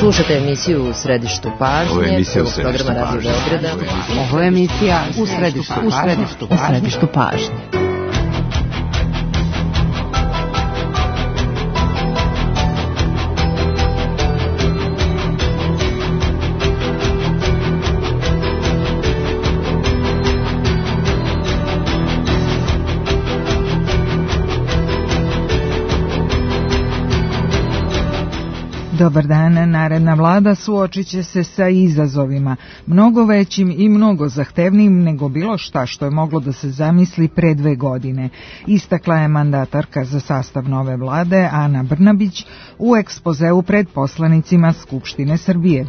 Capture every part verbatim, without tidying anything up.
Slušate emisiju U središtu pažnje. Ovo je emisija U središtu pažnje. Ovo je emisija U središtu pažnje. U središtu pažnje. Dobar dan, naredna vlada suočit će se sa izazovima, mnogo većim i mnogo zahtevnijim nego bilo šta što je moglo da se zamisli pre dve godine. Istakla je mandatarka za sastav nove vlade Ana Brnabić u ekspozeu pred poslanicima Skupštine Srbije.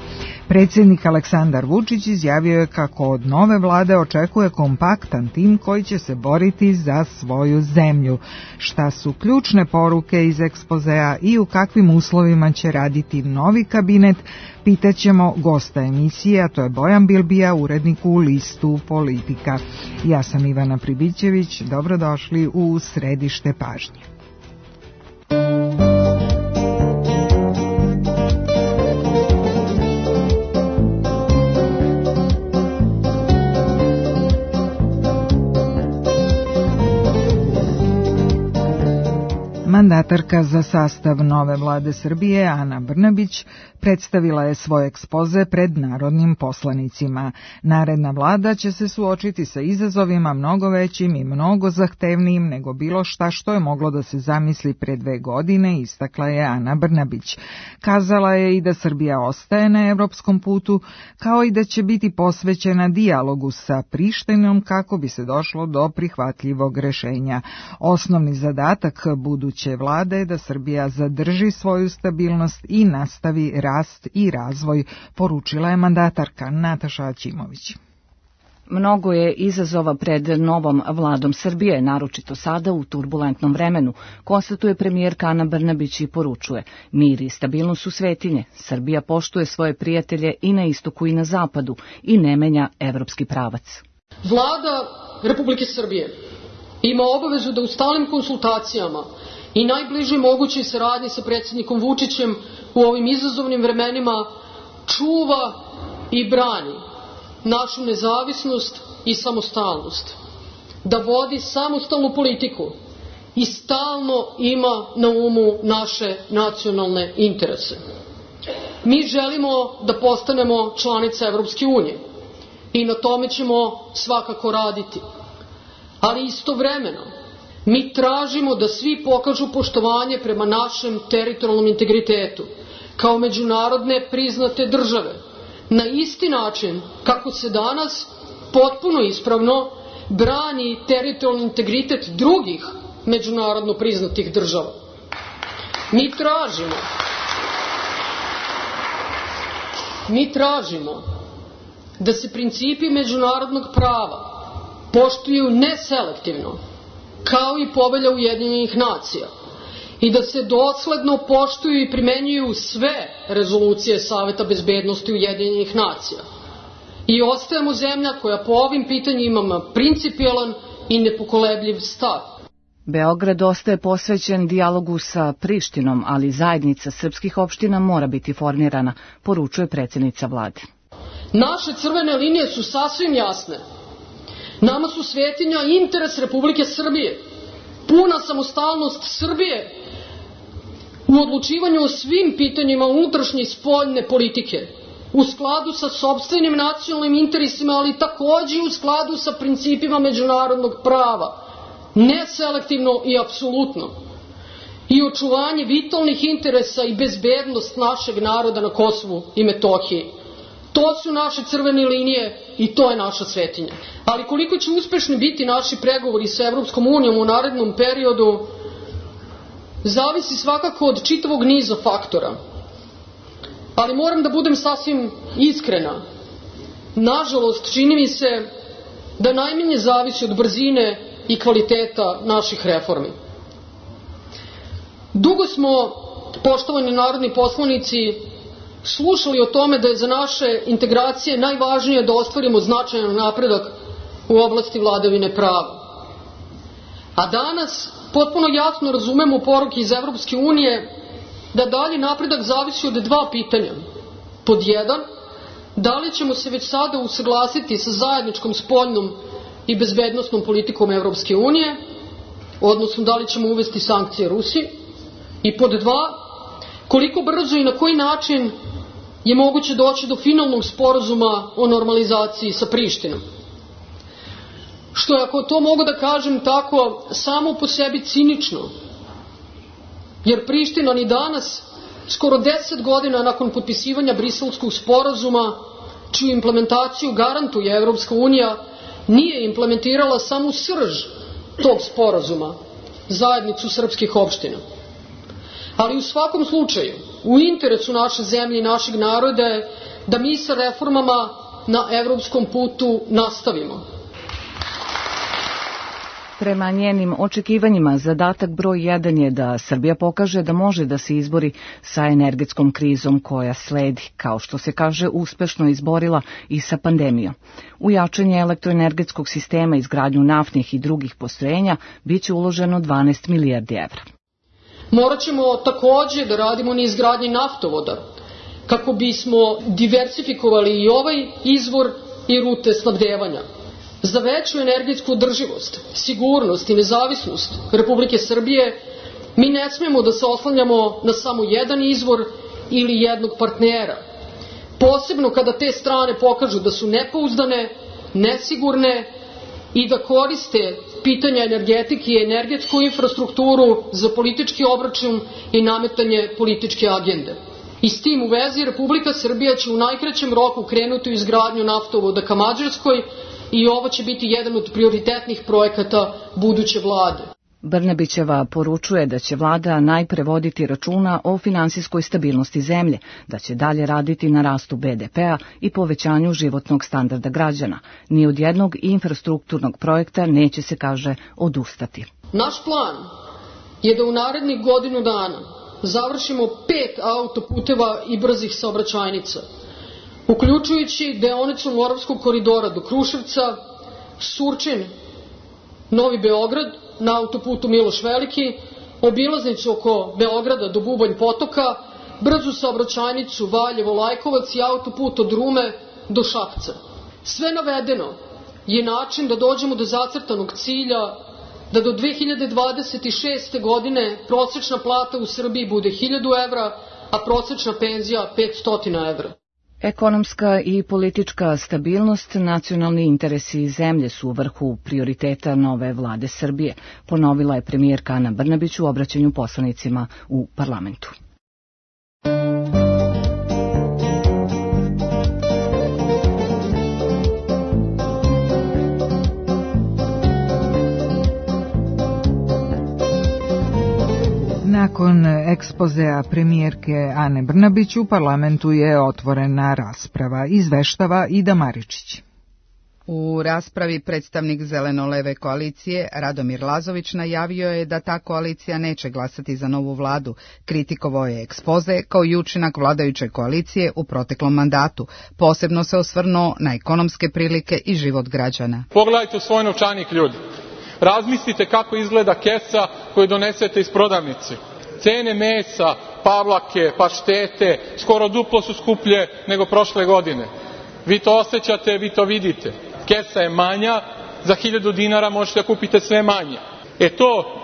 Predsjednik Aleksandar Vučić izjavio je kako od nove vlade očekuje kompaktan tim koji će se boriti za svoju zemlju. Šta su ključne poruke iz ekspozea i u kakvim uslovima će raditi novi kabinet, pitaćemo gosta emisije, a to je Bojan Bilbija, urednik u listu Politika. Ja sam Ivana Pribićević, dobrodošli u središte pažnje. Mandatarka za sastav nove vlade Srbije, Ana Brnabić, predstavila je svoj ekspoze pred narodnim poslanicima. Naredna vlada će se suočiti sa izazovima mnogo većim i mnogo zahtevnijim nego bilo šta što je moglo da se zamisli pre dve godine, istakla je Ana Brnabić. Kazala je i da Srbija ostaje na evropskom putu, kao i da će biti posvećena dijalogu sa Prištinom kako bi se došlo do prihvatljivog rešenja. Osnovni zadatak buduće vlade je da Srbija zadrži svoju stabilnost i nastavi rast i razvoj, poručila je mandatarka Nataša Aćimović. Mnogo je izazova pred novom vladom Srbije, naročito sada u turbulentnom vremenu, konstatuje premijerka Ana Brnabić i poručuje: mir i stabilnost su svetinje, Srbija poštuje svoje prijatelje i na istoku i na zapadu i ne menja evropski pravac. Vlada Republike Srbije ima obavezu da u stalnim konsultacijama i najbližoj mogućoj saradnji sa predsjednikom Vučićem u ovim izazovnim vremenima čuva i brani našu nezavisnost i samostalnost, da vodi samostalnu politiku i stalno ima na umu naše nacionalne interese. Mi želimo da postanemo članica Evropske unije i na tome ćemo svakako raditi, ali istovremeno mi tražimo da svi pokažu poštovanje prema našem teritorijalnom integritetu kao međunarodne priznate države, na isti način kako se danas potpuno ispravno brani teritorijalni integritet drugih međunarodno priznatih država. Mi tražimo, mi tražimo da se principi međunarodnog prava poštuju neselektivno, kao i Povelja Ujedinjenih nacija, i da se dosledno poštuju i primenjuju sve rezolucije Saveta bezbednosti Ujedinjenih nacija. I ostajemo zemlja koja po ovim pitanjima ima principijelan i nepokolebljiv stav. Beograd ostaje posvećen dijalogu sa Prištinom, ali zajednica srpskih opština mora biti formirana, poručuje predsjednica vlade. Naše crvene linije su sasvim jasne. Nama su svetinja interes Republike Srbije, puna samostalnost Srbije u odlučivanju o svim pitanjima unutrašnje i spoljne politike, u skladu sa sopstvenim nacionalnim interesima, ali takođe u skladu sa principima međunarodnog prava, neselektivno i apsolutno, i očuvanje vitalnih interesa i bezbednost našeg naroda na Kosovu i Metohiji. To su naše crvene linije i to je naša svetinja. Ali koliko će uspešni biti naši pregovori sa Evropskom unijom u narednom periodu, zavisi svakako od čitavog niza faktora. Ali moram da budem sasvim iskrena. Nažalost, čini mi se da najmanje zavisi od brzine i kvaliteta naših reformi. Dugo smo, poštovani narodni poslanici, slušali o tome da je za naše integracije najvažnije da ostvarimo značajan napredak u oblasti vladavine prava. A danas potpuno jasno razumemo poruke iz Evropske unije da dalji napredak zavisi od dva pitanja. Pod jedan, da li ćemo se već sada usaglasiti sa zajedničkom spoljnom i bezbednosnom politikom Evropske unije, odnosno da li ćemo uvesti sankcije Rusiji? I pod dva, koliko brzo i na koji način je moguće doći do finalnog sporazuma o normalizaciji sa Prištinom? Što je, ako to mogu da kažem tako, samo po sebi cinično, jer Priština ni danas, skoro deset godina nakon potpisivanja Briselskog sporazuma, čiju implementaciju garantuje Evropska unija, nije implementirala samo srž tog sporazuma, zajednicu srpskih opština. Ali u svakom slučaju, u interesu naše zemlje i našeg naroda je da mi sa reformama na evropskom putu nastavimo. Prema njenim očekivanjima, zadatak broj jedan je da Srbija pokaže da može da se izbori sa energetskom krizom koja sledi, kao što se kaže, uspešno izborila i sa pandemijom. U jačanje elektroenergetskog sistema, izgradnju naftnih i drugih postrojenja biće uloženo dvanaest milijardi evra. Morat ćemo takođe da radimo na izgradnji naftovoda, kako bismo diversifikovali i ovaj izvor i rute snabdevanja. Za veću energetsku održivost, sigurnost i nezavisnost Republike Srbije mi ne smemo da se oslanjamo na samo jedan izvor ili jednog partnera. Posebno kada te strane pokažu da su nepouzdane, nesigurne i da koriste pitanja energetike i energetsku infrastrukturu za politički obračun i nametanje političke agende. I s tim u vezi Republika Srbija će u najkraćem roku krenuti u izgradnju naftovoda ka Mađarskoj i ovo će biti jedan od prioritetnih projekata buduće vlade. Brnabićeva poručuje da će vlada najpre voditi računa o finansijskoj stabilnosti zemlje, da će dalje raditi na rastu be de pea i povećanju životnog standarda građana. Ni od jednog infrastrukturnog projekta neće se, kaže, odustati. Naš plan je da u narednih godinu dana završimo pet autoputeva i brzih saobraćajnica, uključujući deonicu Moravskog koridora do Kruševca, Surčin, Novi Beograd na autoputu Miloš Veliki, obilaznicu oko Beograda do Bubanj Potoka, brzu saobraćajnicu Valjevo-Lajkovac i autoput od Rume do Šapca. Sve navedeno je način da dođemo do zacrtanog cilja da do dve hiljade dvadeset šeste. godine prosečna plata u Srbiji bude hiljadu evra, a prosečna penzija petsto evra. Ekonomska i politička stabilnost, nacionalni interesi zemlje su u vrhu prioriteta nove vlade Srbije, ponovila je premijerka Ana Brnabić u obraćanju poslanicima u parlamentu. Nakon ekspozea premijerke Ane Brnabić u parlamentu je otvorena rasprava, izveštava Ida Maričić. U raspravi predstavnik Zeleno-leve koalicije Radomir Lazović najavio je da ta koalicija neće glasati za novu vladu. Kritikovao je ekspoze kao i učinak vladajuće koalicije u proteklom mandatu. Posebno se osvrnuo na ekonomske prilike i život građana. Pogledajte u svoj novčanik, ljudi. Razmislite kako izgleda kesa koju donesete iz prodavnice. Cene mesa, pavlake, paštete, skoro duplo su skuplje nego prošle godine. Vi to osjećate, vi to vidite. Kesa je manja, za hiljadu dinara možete kupiti sve manje. E to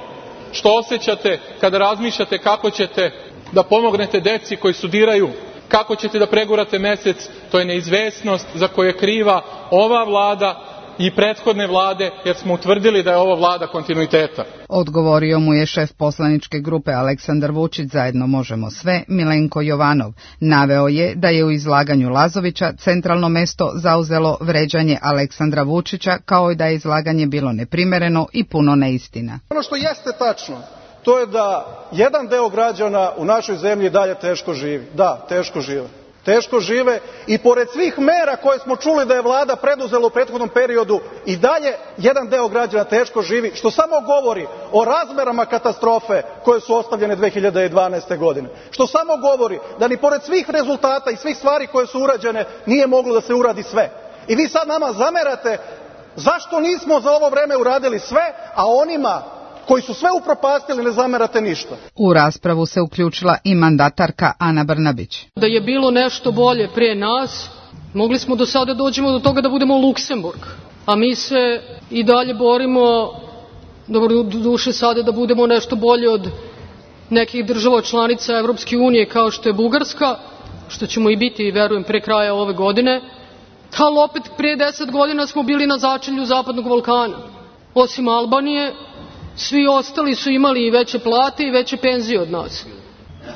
što osjećate kada razmišljate kako ćete da pomognete deci koji studiraju, kako ćete da pregurate mesec, to je neizvesnost za koju je kriva ova vlada i prethodne vlade, jer smo utvrdili da je ovo vlada kontinuiteta. Odgovorio mu je šef poslaničke grupe Aleksandar Vučić Zajedno možemo sve, Milenko Jovanov. Naveo je da je u izlaganju Lazovića centralno mesto zauzelo vređanje Aleksandra Vučića, kao i da je izlaganje bilo neprimereno i puno neistina. Ono što jeste tačno, to je da jedan deo građana u našoj zemlji dalje teško živi. Da, teško žive. Teško žive i pored svih mera koje smo čuli da je vlada preduzela u prethodnom periodu i dalje jedan deo građana teško živi, što samo govori o razmerama katastrofe koje su ostavljene dve hiljade dvanaeste. godine. Što samo govori da ni pored svih rezultata i svih stvari koje su urađene nije moglo da se uradi sve. I vi sad nama zamerate zašto nismo za ovo vreme uradili sve, a onima koji su sve upropastili, ne zamerate ništa. U raspravu se uključila i mandatarka Ana Brnabić. Da je bilo nešto bolje pre nas, mogli smo do sada dođemo do toga da budemo Luksemburg, a mi se i dalje borimo, dobro, do duše sada da budemo nešto bolje od nekih država članica Evropske unije kao što je Bugarska, što ćemo i biti, verujem, pre kraja ove godine, ali opet prije deset godina smo bili na začelju Zapadnog Balkana. Osim Albanije, svi ostali su imali i veće plate i veće penzije od nas.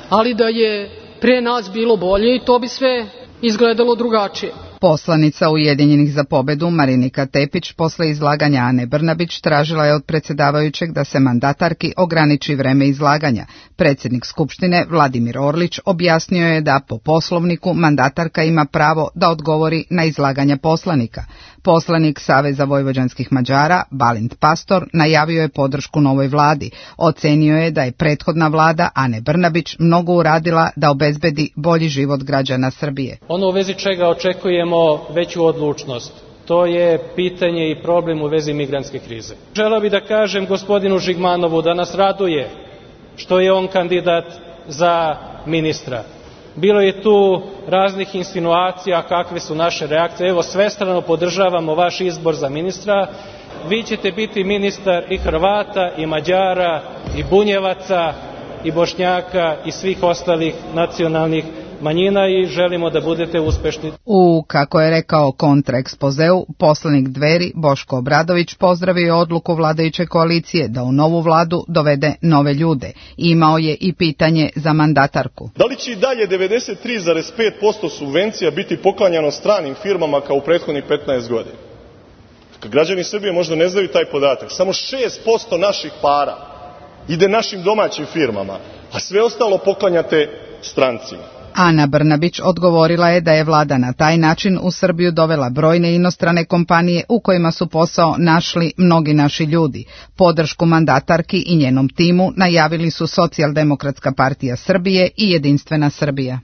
Ali da je pre nas bilo bolje i to bi sve izgledalo drugačije. Poslanica Ujedinjenih za pobedu Marinika Tepić posle izlaganja Ane Brnabić tražila je od predsjedavajućeg da se mandatarki ograniči vreme izlaganja. Predsjednik Skupštine Vladimir Orlić objasnio je da po poslovniku mandatarka ima pravo da odgovori na izlaganja poslanika. Poslanik Saveza vojvođanskih Mađara Balint Pastor najavio je podršku novoj vladi. Ocenio je da je prethodna vlada Ane Brnabić mnogo uradila da obezbedi bolji život građana Srbije. Ono u vezi čega očekujemo veću odlučnost, to je pitanje i problem u vezi migrantske krize. Želeo bih da kažem gospodinu Žigmanovu da nas raduje što je on kandidat za ministra. Bilo je tu raznih insinuacija kakve su naše reakcije. Evo, svestrano podržavamo vaš izbor za ministra. Vi ćete biti ministar i Hrvata, i Mađara, i Bunjevaca, i Bošnjaka, i svih ostalih nacionalnih manjina i želimo da budete uspešni. U, kako je rekao kontraekspozeu, poslanik Dveri Boško Obradović pozdravio odluku vladajuće koalicije da u novu vladu dovede nove ljude. Imao je i pitanje za mandatarku. Da li će i dalje devedeset tri zarez pet posto subvencija biti poklanjano stranim firmama kao u prethodnih petnaest godina? Građani Srbije možda ne znaju taj podatak. Samo šest posto naših para ide našim domaćim firmama, a sve ostalo poklanjate strancima. Ana Brnabić odgovorila je da je vlada na taj način u Srbiju dovela brojne inostrane kompanije u kojima su posao našli mnogi naši ljudi. Podršku mandatarki i njenom timu najavili su Socijaldemokratska partija Srbije i Jedinstvena Srbija.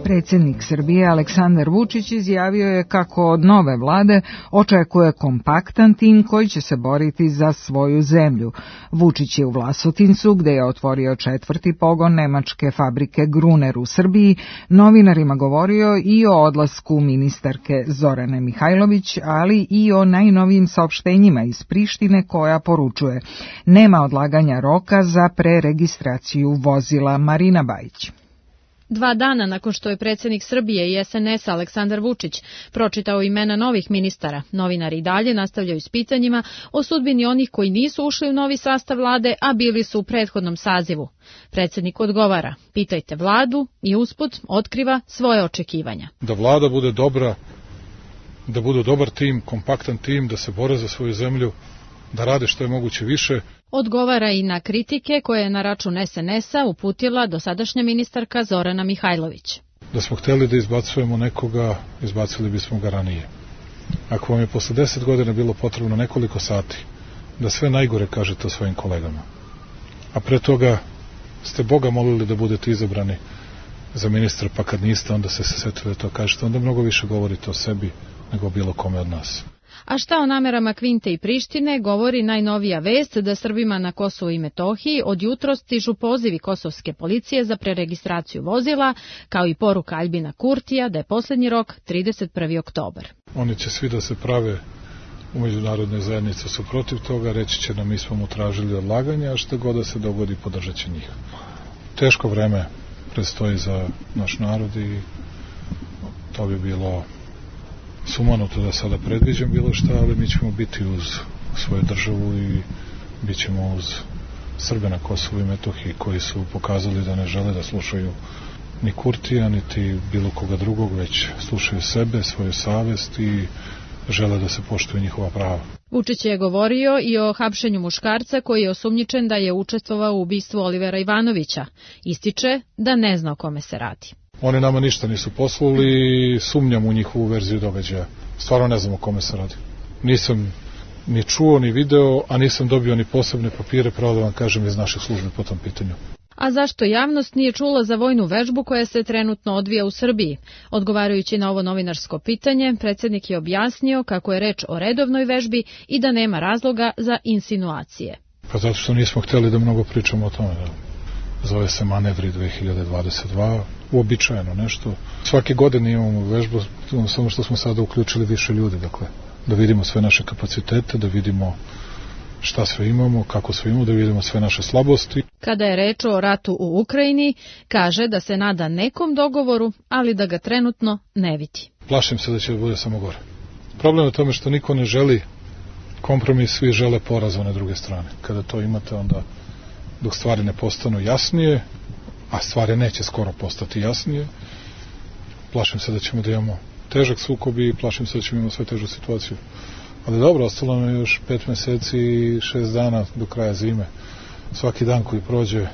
Predsjednik Srbije Aleksandar Vučić izjavio je kako od nove vlade očekuje kompaktan tim koji će se boriti za svoju zemlju. Vučić je u Vlasotincu, gde je otvorio četvrti pogon nemačke fabrike Gruner u Srbiji, novinarima govorio i o odlasku ministarke Zorane Mihajlović, ali i o najnovijim saopštenjima iz Prištine koja poručuje: nema odlaganja roka za preregistraciju vozila. Marina Bajić. Dva dana nakon što je predsjednik Srbije i es en es Aleksandar Vučić pročitao imena novih ministara, novinari i dalje nastavljaju s pitanjima o sudbini onih koji nisu ušli u novi sastav vlade, a bili su u prethodnom sazivu. Predsjednik odgovara: pitajte vladu, i usput otkriva svoje očekivanja. Da vlada bude dobra, da bude dobar tim, kompaktan tim, da se bore za svoju zemlju, da rade što je moguće više. Odgovara i na kritike koje je na račun es en es-a uputila dosadašnja ministarka Zorana Mihajlović. Da smo hteli da izbacujemo nekoga, izbacili bismo ga ranije. Ako vam je posle deset godina bilo potrebno nekoliko sati da sve najgore kažete o svojim kolegama, a pre toga ste Boga molili da budete izabrani za ministra, pa kad niste, onda ste se setili da to kažete, onda mnogo više govorite o sebi nego o bilo kome od nas. A šta o namerama Kvinte i Prištine govori najnovija vest da Srbima na Kosovu i Metohiji od jutros stižu pozivi kosovske policije za preregistraciju vozila, kao i poruka Aljbina Kurtija da je posljednji rok trideset prvi oktobar. Oni će svi da se prave u međunarodnoj zajednici su protiv toga, reći će nam mi smo mu tražili odlaganje, a što god da se dogodi podržat će njih. Teško vreme predstoji za naš narod i to bi bilo sumanuto da sada predviđam bilo šta, ali mi ćemo biti uz svoju državu i bit ćemo uz Srbe na Kosovu i Metohiji koji su pokazali da ne žele da slušaju ni Kurtija, niti bilo koga drugog, već slušaju sebe, svoju savest i žele da se poštuju njihova prava. Vučić je govorio i o hapšenju muškarca koji je osumnjičen da je učestvovao u ubistvu Olivera Ivanovića. Ističe da ne zna o kome se radi. Oni nama ništa nisu poslali i sumnjam u njihovu verziju događaja. Stvarno ne znam o kome se radi. Nisam ni čuo, ni video, a nisam dobio ni posebne papire, pravo da vam kažem, iz naših službi po tom pitanju. A zašto javnost nije čula za vojnu vežbu koja se trenutno odvija u Srbiji? Odgovarajući na ovo novinarsko pitanje, predsjednik je objasnio kako je reč o redovnoj vežbi i da nema razloga za insinuacije. Pa zato što nismo htjeli da mnogo pričamo o tome. Zove se Manevri dve hiljade dvadeset dva, uobičajeno nešto. Svake godine imamo vežbu, samo što smo sada uključili više ljudi, dakle, da vidimo sve naše kapacitete, da vidimo šta sve imamo, kako sve imamo, da vidimo sve naše slabosti. Kada je reč o ratu u Ukrajini, kaže da se nada nekom dogovoru, ali da ga trenutno ne vidi. Plašim se da će bude samo gore. Problem je u tome što niko ne želi kompromis, svi žele poraz one druge strane. Kada to imate, onda dok stvari ne postanu jasnije, a stvari neće skoro postati jasnije, plašim se da ćemo da imamo težak sukob i plašim se da ćemo imati sve težu situaciju. Ali dobro, ostalo nam je još pet meseci i šest dana do kraja zime. Svaki dan koji prođe,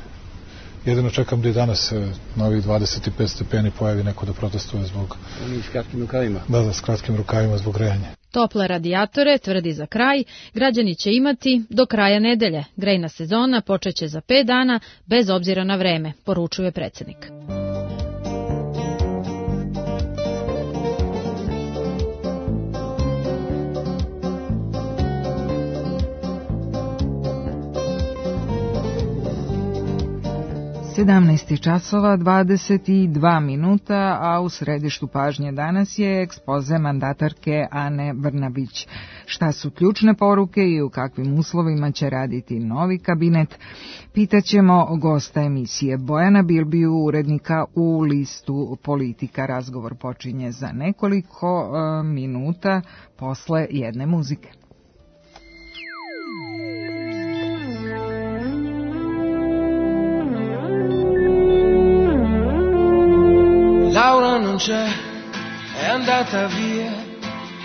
jedino čekam da i danas se na ovih dvadeset pet stepeni pojavi neko da protestuje zbog... Oni s kratkim rukavima. Da, da, s kratkim rukavima zbog grejanja. Tople radijatore, tvrdi za kraj, građani će imati do kraja nedelje. Grejna sezona počeće za pet dana, bez obzira na vreme, poručuje predsjednik. sedamnaest časova dvadeset dva minuta, a u središtu pažnje danas je ekspoze mandatarke Ane Brnabić. Šta su ključne poruke i u kakvim uslovima će raditi novi kabinet? Pitaćemo gosta emisije Bojana Bilbiju, urednika u listu Politika. Razgovor počinje za nekoliko uh, minuta posle jedne muzike. Laura non c'è, è andata via,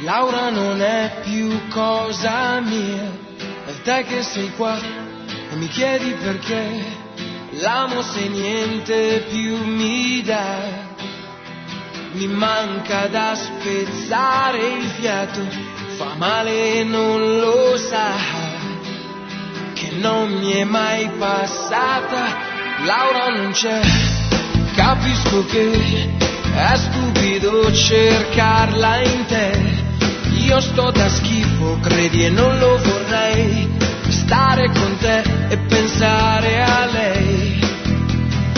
Laura non è più cosa mia, è te che sei qua e mi chiedi perché, l'amo se niente più mi dà, mi manca da spezzare il fiato, fa male e non lo sa, che non mi è mai passata, Laura non c'è. Capisco che è stupido cercarla in te, io sto da schifo, credi e non lo vorrei, stare con te e pensare a lei,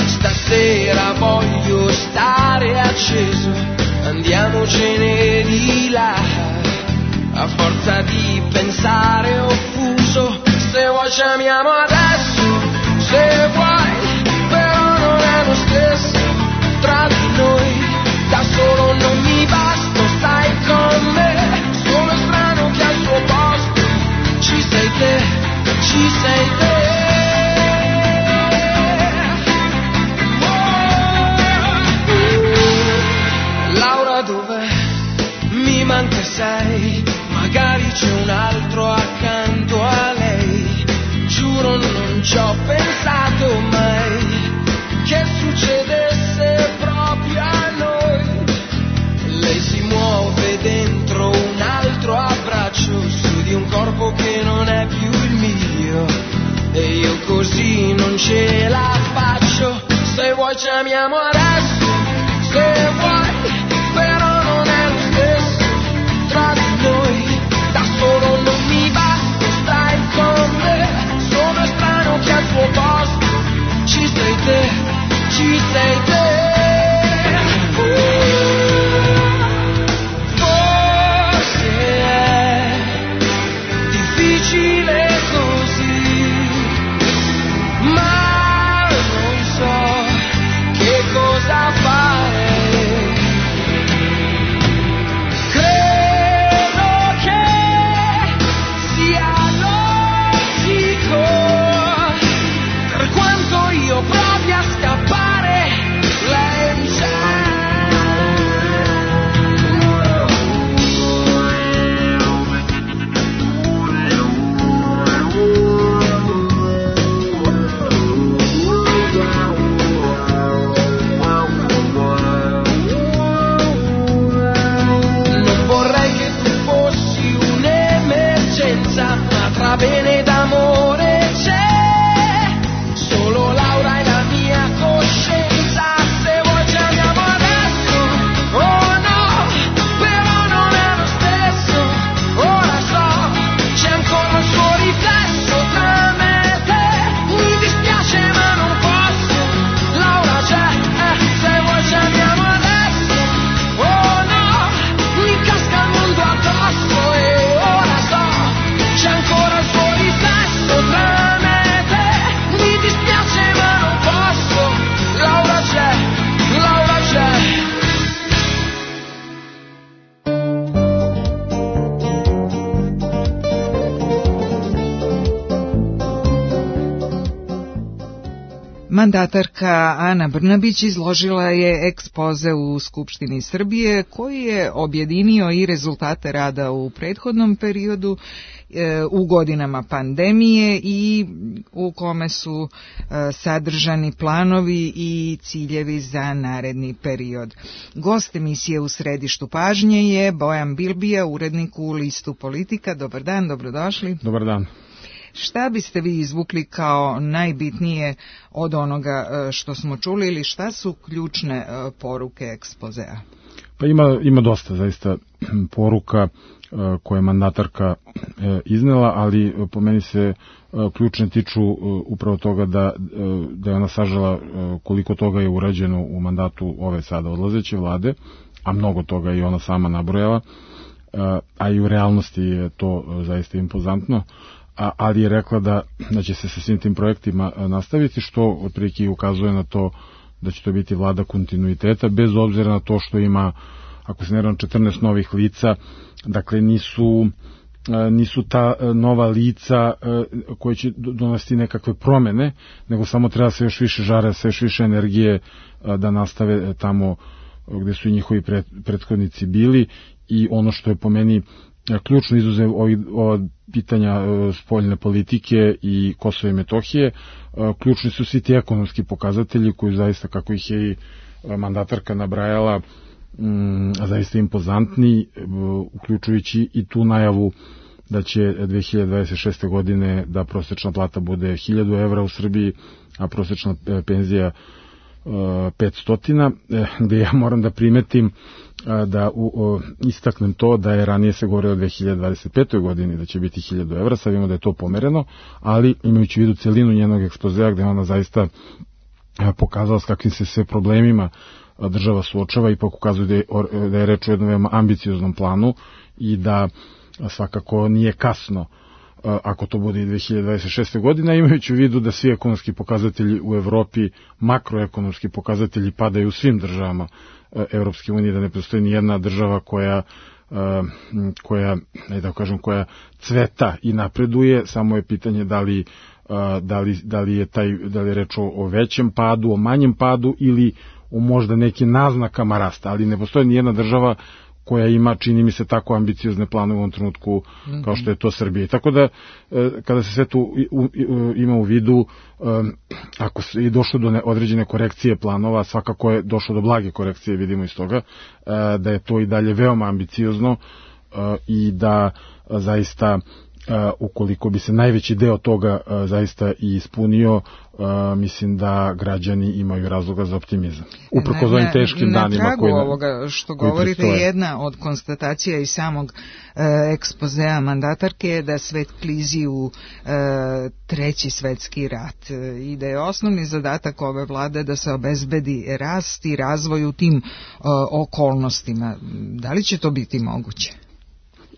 stasera voglio stare acceso, andiamocene di là, a forza di pensare offuso, se vuoi chiamiamo adesso, se vuoi, lo stesso tra di noi, da solo non mi basta, stai con me, sono strano che al tuo posto ci sei te, ci sei te. Oh, Laura dov'è? Mi manca sei, magari c'è un altro accanto a lei, giuro non ci ho pensato mai che succedesse proprio a noi. Lei si muove dentro un altro abbraccio su di un corpo che non è più il mio, e io così non ce la faccio. Se vuoi chiamiamo adesso, se vuoi, però non è lo stesso tra di noi, da solo non mi basta, stai con me, sono strano che al tuo posto ci sei te, ci sei te. Forse è difficile così, ma non so che cosa fare. Mandatarka Ana Brnabić izložila je ekspoze u Skupštini Srbije koji je objedinio i rezultate rada u prethodnom periodu, u godinama pandemije i u kome su sadržani planovi i ciljevi za naredni period. Gost emisije U središtu pažnje je Bojan Bilbija, urednik u Listu Politika. Dobar dan, dobrodošli. Dobar dan. Šta biste vi izvukli kao najbitnije od onoga što smo čuli ili šta su ključne poruke ekspozea? Pa ima, ima dosta zaista poruka koje je mandatarka iznela, ali po meni se ključne tiču upravo toga da, da je ona sažela koliko toga je urađeno u mandatu ove sada odlazeće vlade, a mnogo toga i ona sama nabrojala, a i u realnosti je to zaista impozantno. A, ali je rekla da, da će se sa svim tim projektima nastaviti, što otprilike ukazuje na to da će to biti vlada kontinuiteta, bez obzira na to što ima, ako se ne varam, četrnaest novih lica, dakle nisu, nisu ta nova lica koje će donositi nekakve promene, nego samo treba se još više žara, se još više energije da nastave tamo gde su i njihovi prethodnici bili. I ono što je po meni ključno izuzev ovih pitanja spoljne politike i Kosova i Metohije, ključni su svi ti ekonomski pokazatelji koji zaista, kako ih je i mandatarka nabrajala, zaista impozantni, uključujući i tu najavu da će dve hiljade dvadeset šeste. godine da prosečna plata bude hiljadu evra u Srbiji, a prosečna penzija petsto, gde ja moram da primetim da u, o, istaknem to da je ranije se govorilo o dve hiljade dvadeset petoj. godini da će biti hiljadu evra, sad vidimo da je to pomereno, ali imajući u vidu celinu njenog ekspozea gde ona zaista pokazala s kakvim se sve problemima država suočava, ipak ukazuje da je, da je reč o jednom veoma ambicioznom planu i da svakako nije kasno ako to bude i dve hiljade dvadeset šeste. godine, imajući u vidu da svi ekonomski pokazatelji u Evropi, makroekonomski pokazatelji padaju u svim državama Evropske unije, da ne postoji ni jedna država koja koja, ne da kažem, koja cveta i napreduje, samo je pitanje da li, da li, da li je taj, da li je reč o, o većem padu, o manjem padu ili o možda nekim naznakama rasta, ali ne postoji ni jedna država koja ima, čini mi se, tako ambiciozne planove u ovom trenutku kao što je to Srbija. Tako da, kada se sve tu ima u vidu, ako je došlo do određene korekcije planova, svakako je došlo do blage korekcije, vidimo iz toga, da je to i dalje veoma ambiciozno i da zaista, ukoliko bi se najveći deo toga zaista i ispunio, mislim da građani imaju razloga za optimizam. Uprkos ovim teškim na, danima na tragu koji ovoga što govorite, jedna od konstatacija iz samog e, ekspozea mandatarke je da svet klizi u e, treći svetski rat e, i da je osnovni zadatak ove vlade da se obezbedi rast i razvoj u tim e, okolnostima. Da li će to biti moguće?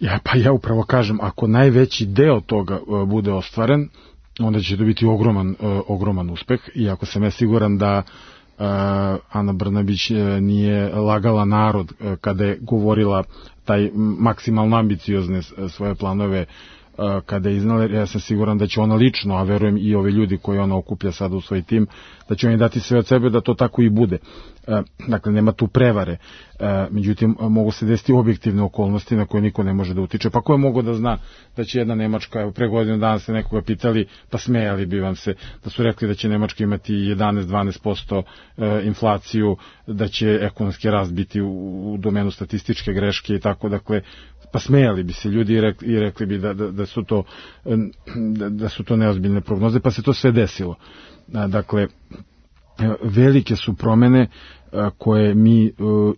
Ja, pa ja upravo kažem, ako najveći deo toga uh, bude ostvaren, onda će to biti ogroman, uh, ogroman uspeh, i ako sam ja siguran da uh, Ana Brnabić uh, nije lagala narod uh, kada je govorila taj maksimalno ambiciozne uh, svoje planove uh, kada je iznala, ja sam siguran da će ona lično, a verujem i ovi ljudi koji ona okuplja sada u svoj tim, da će oni dati sve od sebe da to tako i bude. Dakle, nema tu prevare. Međutim, mogu se desiti objektivne okolnosti na koje niko ne može da utiče. Pa ko je mogo da zna da će jedna Nemačka, evo pre godinu dana ste nekoga pitali, pa smejali bi vam se, da su rekli da će Nemačka imati jedanaest do dvanaest posto inflaciju, da će ekonomski rast biti u domenu statističke greške i tako, dakle, pa smejali bi se ljudi i rekli, i rekli bi da, da, da, su to, da, da su to neozbiljne prognoze, pa se to sve desilo. Dakle, velike su promene koje mi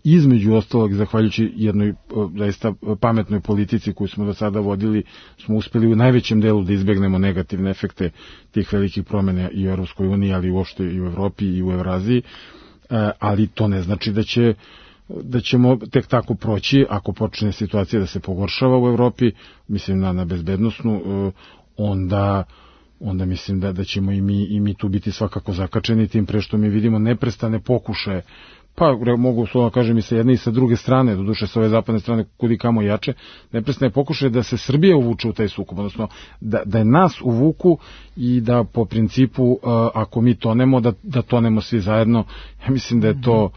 između ostalog, zahvaljujući jednoj zaista pametnoj politici koju smo do sada vodili, smo uspeli u najvećem delu da izbegnemo negativne efekte tih velikih promena i u Europskoj uniji, ali uopšte i u Evropi i u Evraziji, ali to ne znači da će da ćemo tek tako proći ako počne situacija da se pogoršava u Evropi, mislim na, na bezbednosnu, onda onda mislim da, da ćemo i mi, i mi tu biti svakako zakačeni, tim pre što mi vidimo neprestane pokušaje pa mogu slovno kažem i sa jedne i sa druge strane, doduše sa ove zapadne strane kudi kamo jače, neprestane pokušaje da se Srbija uvuče u taj sukob, odnosno da, da je nas uvuku i da po principu uh, ako mi tonemo, da, da tonemo svi zajedno. Ja mislim da je to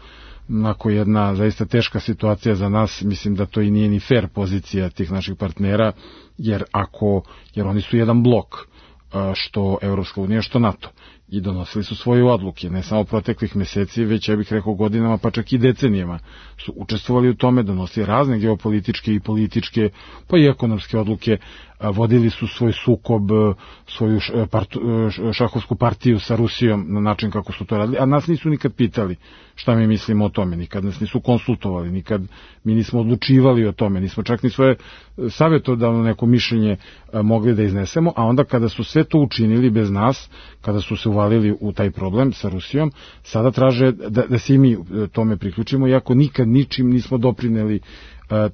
onako jedna zaista teška situacija za nas, mislim da to i nije ni fair pozicija tih naših partnera, jer ako, jer oni su jedan blok, što Evropska unija, što NATO, i donosili su svoje odluke, ne samo proteklih meseci, već ja bih rekao godinama, pa čak i decenijama su učestvovali u tome, donosili razne geopolitičke i političke, pa i ekonomske odluke, vodili su svoj sukob, svoju šahovsku partiju sa Rusijom na način kako su to radili, a nas nisu nikad pitali šta mi mislimo o tome, nikad nas nisu konsultovali, nikad mi nismo odlučivali o tome, nismo čak ni svoje savjetodavno neko mišljenje mogli da iznesemo, a onda kada su sve to učinili bez nas, kada su se uvalili u taj problem sa Rusijom, sada traže da, da se i mi tome priključimo, iako nikad ničim nismo doprineli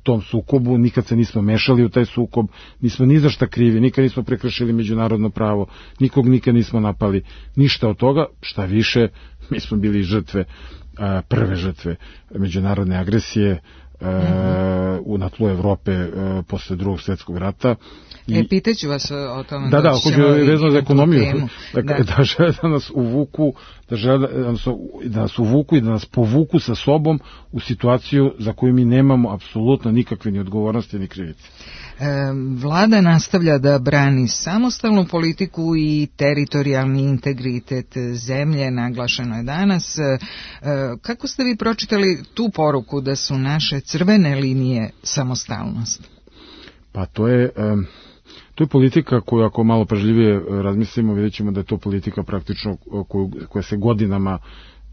tom sukobu, nikad se nismo mešali u taj sukob, nismo ni za šta krivi, nikad nismo prekršili međunarodno pravo, nikog nikad nismo napali, ništa od toga, šta više, mi smo bili žrtve, prve žrtve međunarodne agresije u na tlu Evrope posle drugog svjetskog rata. I, e, pitaću vas o tome. Da, da, ako je vezano za ekonomiju, da, da. da žele da nas uvuku, da žele da nas uvuku i da nas povuku sa sobom u situaciju za koju mi nemamo apsolutno nikakve ni odgovornosti ni krivice. Vlada nastavlja da brani samostalnu politiku i teritorijalni integritet zemlje, naglašeno je danas. Kako ste vi pročitali tu poruku da su naše crvene linije samostalnost? Pa to je... Um... To je politika koju, ako malo pažljivije razmislimo, vidjet ćemo da je to politika praktično koju, koja se godinama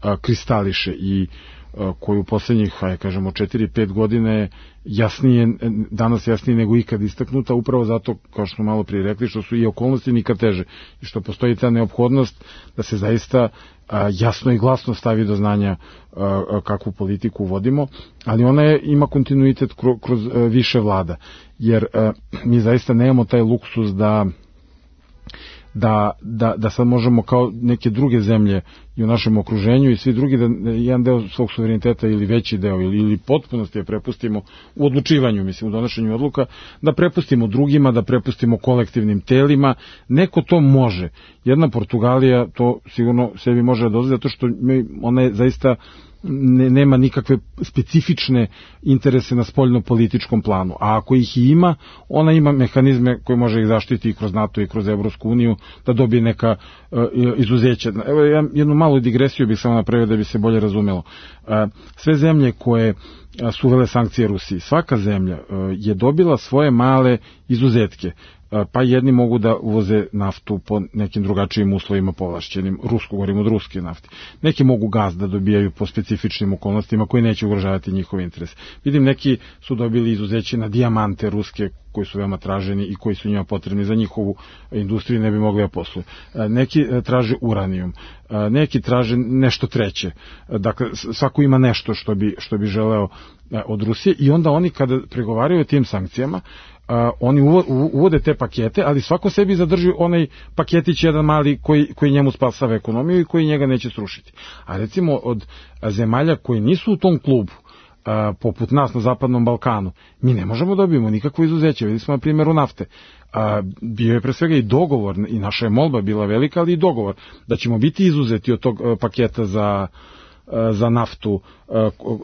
a, kristališe i a, koju u poslednjih, hajde kažemo, četiri pet godine jasnije, danas jasnije nego ikad istaknuta, upravo zato, kao što smo malo prije rekli, što su i okolnosti nikad teže i što postoji ta neophodnost da se zaista a, jasno i glasno stavi do znanja a, kakvu politiku vodimo, ali ona je, ima kontinuitet kroz, kroz a, više vlada, jer a, mi zaista nemamo taj luksus da Da, da, da sad možemo kao neke druge zemlje i u našem okruženju i svi drugi da jedan deo svog suvereniteta ili veći deo ili, ili potpunosti je prepustimo u odlučivanju, mislim u donošenju odluka, da prepustimo drugima, da prepustimo kolektivnim telima. Neko to može. Jedna Portugalija to sigurno sebi može da dozvoli zato što ona je zaista Ne, nema nikakve specifične interese na spoljno-političkom planu, a ako ih i ima, ona ima mehanizme koje može ih zaštiti i kroz NATO i kroz Evropsku uniju, da dobije neka uh, izuzeća. Evo, ja jednu malu digresiju bih samo napravio da bi se bolje razumelo. Uh, sve zemlje koje uh, su uvele sankcije Rusiji, svaka zemlja uh, je dobila svoje male izuzetke. Pa jedni mogu da uvoze naftu po nekim drugačijim uslovima povlašćenim, rusko, govorimo od ruske nafti. Neki mogu gaz da dobijaju po specifičnim okolnostima koji neće ugrožavati njihov interes. Vidim, neki su dobili izuzeće na dijamante ruske koji su veoma traženi i koji su njima potrebni za njihovu industriju, ne bi mogli da posluju. Neki traže uranijum, neki traže nešto treće. Dakle, svako ima nešto što bi, što bi želeo od Rusije i onda oni kada pregovaraju o tim sankcijama, Uh, oni uvode te pakete, ali svako sebi zadrži onaj paketić jedan mali koji, koji njemu spasava ekonomiju i koji njega neće srušiti. A recimo od zemalja koji nisu u tom klubu, uh, poput nas na Zapadnom Balkanu, mi ne možemo dobijemo nikakvo izuzeće. Videli smo na primjeru nafte. Uh, bio je pre svega i dogovor, i naša je molba bila velika, ali i dogovor da ćemo biti izuzeti od tog uh, paketa za za naftu,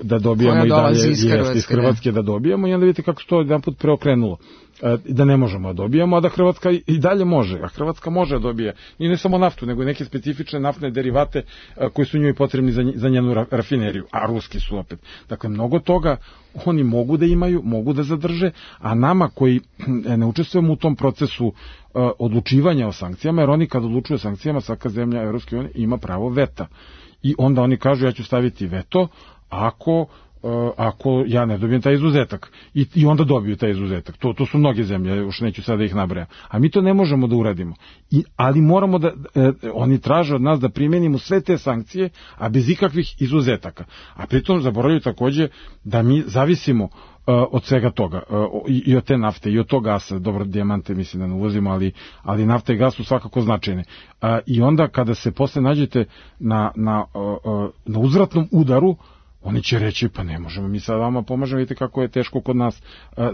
da dobijamo i dalje iz Hrvatske, iz Hrvatske da dobijamo, i onda vidite kako se to jedan put preokrenulo, da ne možemo da dobijamo, a da Hrvatska i dalje može, a Hrvatska može da dobije i ne samo naftu, nego i neke specifične naftne derivate koji su njoj potrebni za, za njenu rafineriju, a ruski su opet. Dakle, mnogo toga oni mogu da imaju, mogu da zadrže, a nama koji ne učestvujemo u tom procesu odlučivanja o sankcijama, jer oni kad odlučuju o sankcijama, svaka zemlja Evropske unije ima pravo veta. I onda oni kažu, ja ću staviti veto ako, uh, ako ja ne dobijem taj izuzetak. I, i onda dobiju taj izuzetak. To, to su mnoge zemlje, još neću sada ih nabrajam. A mi to ne možemo da uradimo. I, ali moramo da, eh, oni traže od nas da primenimo sve te sankcije, a bez ikakvih izuzetaka. A pritom zaboravljaju takođe da mi zavisimo Uh, od svega toga, uh, i, i od te nafte, i od tog gasa, dobro, dijamante mislim da ne uvozimo, ali, ali nafta i gas su svakako značajne. Uh, I onda kada se posle nađete na, na, uh, uh, na uzvratnom udaru, oni će reći, pa ne možemo, mi sad vama pomažemo, vidite kako je teško kod nas,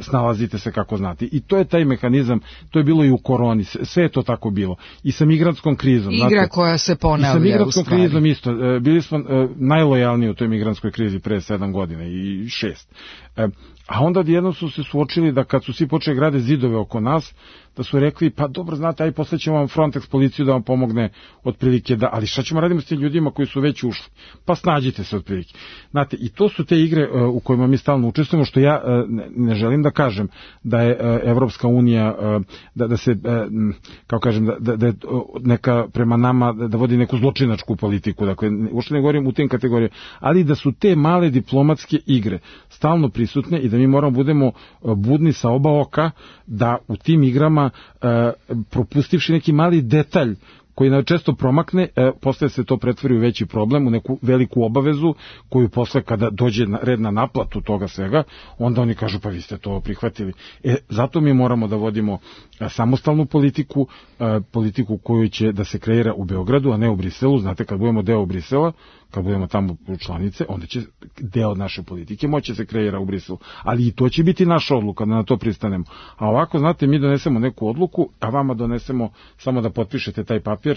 snalazite se kako znate. I to je taj mehanizam, to je bilo i u koroni, sve je to tako bilo. I sa migrantskom krizom. Igra znate, koja se ponavlja. I sa migrantskom krizom isto. Bili smo najlojalniji u toj migrantskoj krizi pre sedam godina i šest. A onda odjednom su se suočili da kad su svi počeli grade zidove oko nas, da su rekli, pa dobro, znate, aj poslećemo vam Frontex policiju da vam pomogne otprilike, da, ali šta ćemo radimo s tim ljudima koji su već ušli? Pa snađite se otprilike. Znate, i to su te igre uh, u kojima mi stalno učestvujemo, što ja uh, ne, ne želim da kažem da je uh, Evropska unija, uh, da, da se, uh, kao kažem, da, da, da je neka prema nama, da, da vodi neku zločinačku politiku, dakle, uopšte ne govorim u tim kategorijama, ali da su te male diplomatske igre stalno prisutne i da mi moramo budemo budni sa oba oka, da u tim igrama Uh, propustivši neki mali detalj koji nam često promakne, e, posle se to pretvori u veći problem, u neku veliku obavezu koju posle kada dođe na, red na naplatu toga svega, onda oni kažu pa vi ste to prihvatili. E, zato mi moramo da vodimo a, samostalnu politiku, a, politiku koju će da se kreira u Beogradu, a ne u Briselu. Znate, kad budemo deo Brisela, kad budemo tamo članice, onda će deo naše politike moći se kreira u Briselu. Ali i to će biti naša odluka da na to pristanemo. A ovako, znate, mi donesemo neku odluku, a vama donesemo samo da potpišete taj papir,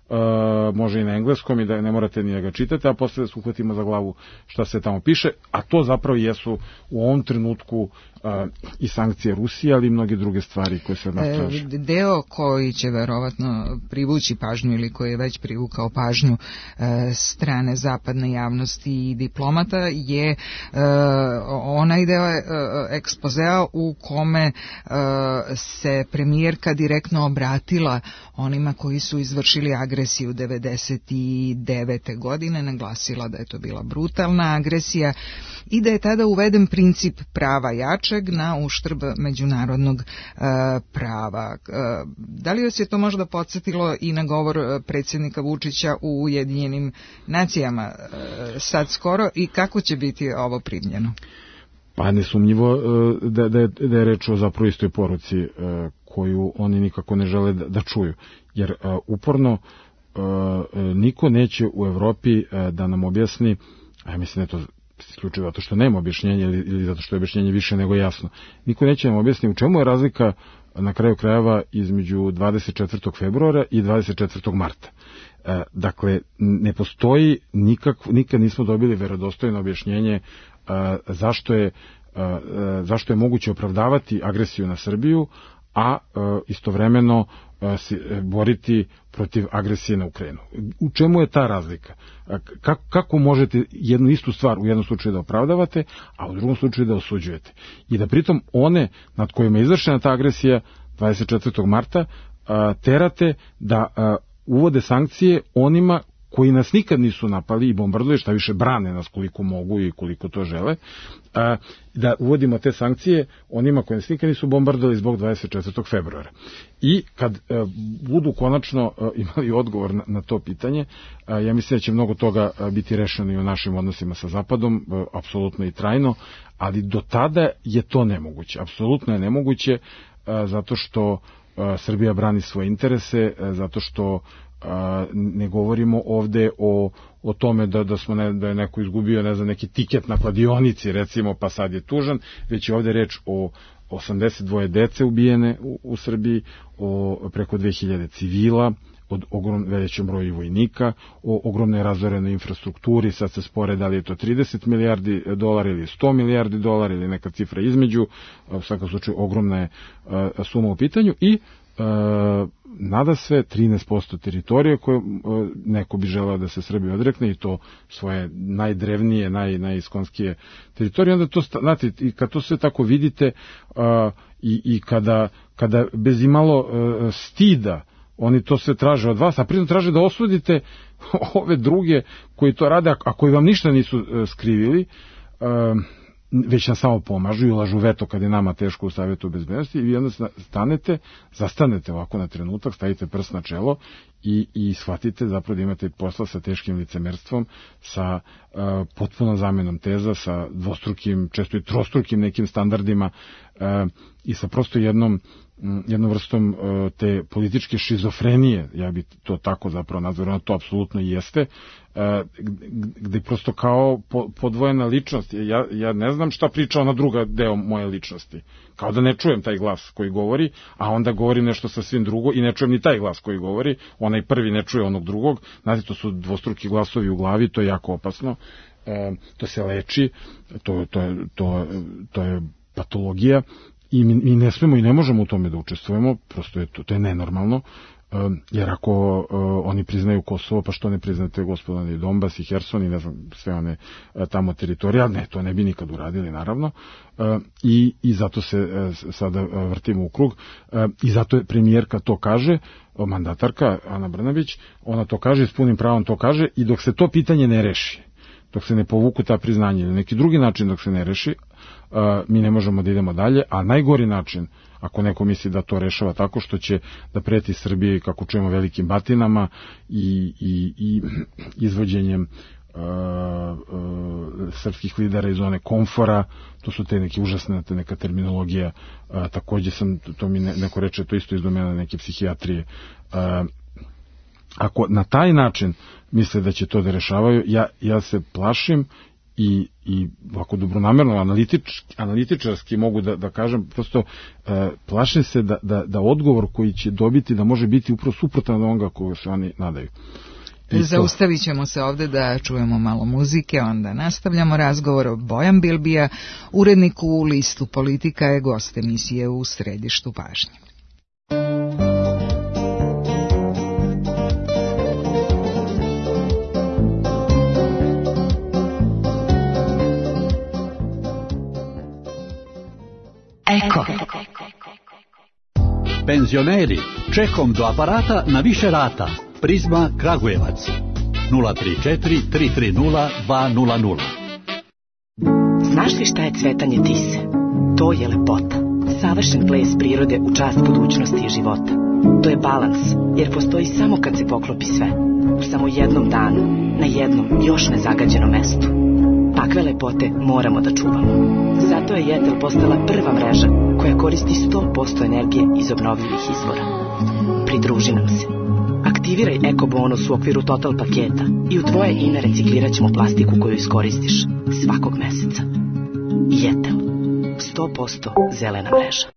Uh, može i na engleskom i da ne morate ni da ga čitate, a posle da se uhvatimo za glavu šta se tamo piše, a to zapravo jesu u ovom trenutku uh, i sankcije Rusije, ali i mnoge druge stvari koje se od nas traže. E, deo koji će verovatno privući pažnju ili koji je već privukao pažnju e, strane zapadne javnosti i diplomata je e, onaj deo e, ekspozea u kome e, se premijerka direktno obratila onima koji su izvršili agresiju devedeset devete godine, naglasila da je to bila brutalna agresija i da je tada uveden princip prava jačeg na uštrb međunarodnog e, prava. E, da li vas je to možda podsjetilo i na govor predsjednika Vučića u Ujedinjenim nacijama e, sad skoro i kako će biti ovo primljeno? Pa nesumnjivo da, da, je, da je reč o zapravo istoj poruci e, koju oni nikako ne žele da, da čuju. Jer e, uporno e, niko neće u Evropi e, da nam objasni, a ja mislim da je to isključivo zato što nema objašnjenja ili, ili zato što je objašnjenje više nego jasno. Niko neće nam objasni u čemu je razlika na kraju krajeva između dvadeset četvrtog februara i dvadeset četvrtog marta. E, dakle, ne postoji nikak, nikad nismo dobili verodostojno objašnjenje e, zašto je, e, zašto je moguće opravdavati agresiju na Srbiju, a e, istovremeno e, si, e, boriti protiv agresije na Ukrajinu. U čemu je ta razlika? Kako, kako možete jednu istu stvar u jednom slučaju da opravdavate, a u drugom slučaju da osuđujete? I da pritom one nad kojima je izvršena ta agresija dvadeset četvrtog marta a, terate da a, uvode sankcije onima koji nas nikad nisu napali i bombarduje, šta više brane nas koliko mogu i koliko to žele, a, da uvodimo te sankcije onima koji nas nikad nisu bombardovali zbog dvadeset četvrtog februara. I kad a, budu konačno a, imali odgovor na, na to pitanje, a, ja mislim da će mnogo toga a, biti rešeno i u našim odnosima sa Zapadom, a, apsolutno i trajno, ali do tada je to nemoguće. Apsolutno je nemoguće a, zato što a, Srbija brani svoje interese, a, zato što a, ne govorimo ovde o, o tome da, da, smo ne, da je neko izgubio ne znam, neki tiket na kladionici recimo pa sad je tužan, već je ovde reč o osamdeset dvoje dece ubijene u, u Srbiji, o preko dve hiljade civila, od ogrom, većem broju vojnika, o ogromnoj razorenoj infrastrukturi, sad se spore da li je to trideset milijardi dolara ili sto milijardi dolara ili neka cifra između, u svakom slučaju ogromna je a, suma u pitanju i E, nada sve trinaest posto teritorije koje e, neko bi želeo da se Srbija odrekne i to svoje najdrevnije, naj, najiskonskije teritorije. Onda to, znate, i kad to sve tako vidite a, i, i kada, kada bez imalo a, stida oni to sve traže od vas, a pritom traže da osudite ove druge koji to rade, a koji vam ništa nisu a, skrivili, a, već nam samo pomažu i ulažu veto kad je nama teško u Savjetu bezbednosti i vi onda stanete, zastanete ovako na trenutak, stavite prst na čelo i, i shvatite zapravo da imate posla sa teškim licemerstvom, sa uh, potpuno zamenom teza, sa dvostrukim, često i trostrukim nekim standardima uh, i sa prosto jednom jednom vrstom te političke šizofrenije, ja bih to tako zapravo nazvao, to apsolutno jeste, gde prosto kao podvojena ličnost, ja, ja ne znam šta priča ona druga deo moje ličnosti, kao da ne čujem taj glas koji govori, a onda govori nešto sasvim drugo i ne čujem ni taj glas koji govori, onaj prvi ne čuje onog drugog, znate, to su dvostruki glasovi u glavi, to je jako opasno, to se leči, to, to, je, to, to je patologija, i mi, mi ne smemo i ne možemo u tome da učestvujemo, prosto je to, to je nenormalno, jer ako uh, oni priznaju Kosovo, pa što ne priznate gospodine i Donbas i Herson i ne znam sve one uh, tamo teritorije, ali ne, to ne bi nikad uradili naravno, uh, i, i zato se uh, sada uh, vrtimo u krug, uh, i zato je premijerka to kaže, uh, mandatarka Ana Brnabić, ona to kaže i s punim pravom to kaže, i dok se to pitanje ne reši, dok se ne povuku ta priznanja ili neki drugi način dok se ne reši, uh, mi ne možemo da idemo dalje, a najgori način, ako neko misli da to rešava tako što će da preti Srbiji, kako čujemo, velikim batinama i, i, i izvođenjem uh, uh, srpskih lidera iz zone komfora, to su te neke užasne, te neka terminologija, uh, takođe sam, to mi ne, neko reče, to isto iz domena neke psihijatrije, uh, ako na taj način misle da će to da rešavaju, ja, ja se plašim i, i ovako dobronamerno, analitič, analitičarski mogu da, da kažem, prosto e, plašim se da, da, da odgovor koji će dobiti da može biti upravo suprotan od onoga koga se oni nadaju. I zaustavit ćemo se ovde da čujemo malo muzike, onda nastavljamo razgovor. Bojan Bilbija, urednik u listu Politika, je gost emisije U središtu pažnje. Eko. Penzioneri, čekom do aparata na više rata. Prizma Kragujevac. nula tri četiri tri tri nula dva nula nula. Znaš li šta je cvetanje tise? To je lepota. Savršen ples prirode u čast budućnosti i života. To je balans, jer postoji samo kad se poklopi sve. U samo jednom danu, na jednom još nezagađenom mestu. Takve lepote moramo da čuvamo. Zato je Jetel postala prva mreža koja koristi sto posto energije iz obnovljivih izvora. Pridruži nam se. Aktiviraj Eko bonus u okviru Total paketa i u tvoje ime reciklirat ćemo plastiku koju iskoristiš svakog meseca. Jetel. sto posto zelena mreža.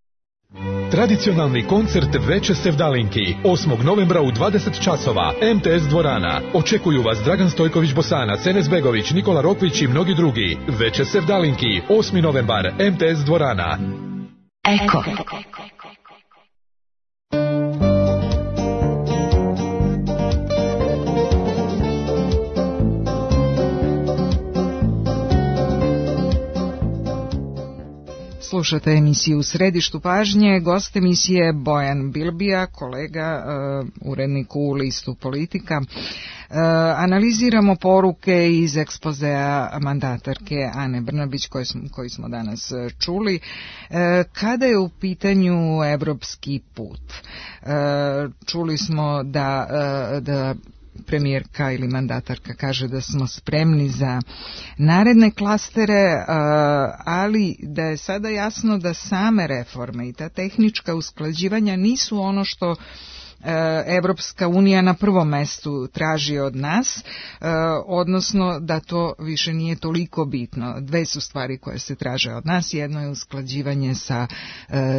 Tradicionalni koncert Veče sevdalinki osmog novembra u dvadeset časova, em te es dvorana. Očekuju vas Dragan Stojković Bosanac, Enes Begović, Nikola Rokvić i mnogi drugi. Veče sevdalinki, osmi novembar, em te es dvorana. Eko. Slušate emisiju U središtu pažnje, gost emisije Bojan Bilbija, kolega, uh, urednik u listu Politika. Uh, analiziramo poruke iz ekspozea mandatarke Ane Brnabić koje smo, koji smo danas čuli. Uh, kada je u pitanju evropski put? Uh, čuli smo da, uh, da premijerka ili mandatarka kaže da smo spremni za naredne klastere, ali da je sada jasno da same reforme i ta tehnička usklađivanja nisu ono što Evropska unija na prvom mestu traži od nas, odnosno da to više nije toliko bitno. Dve su stvari koje se traže od nas. Jedno je usklađivanje sa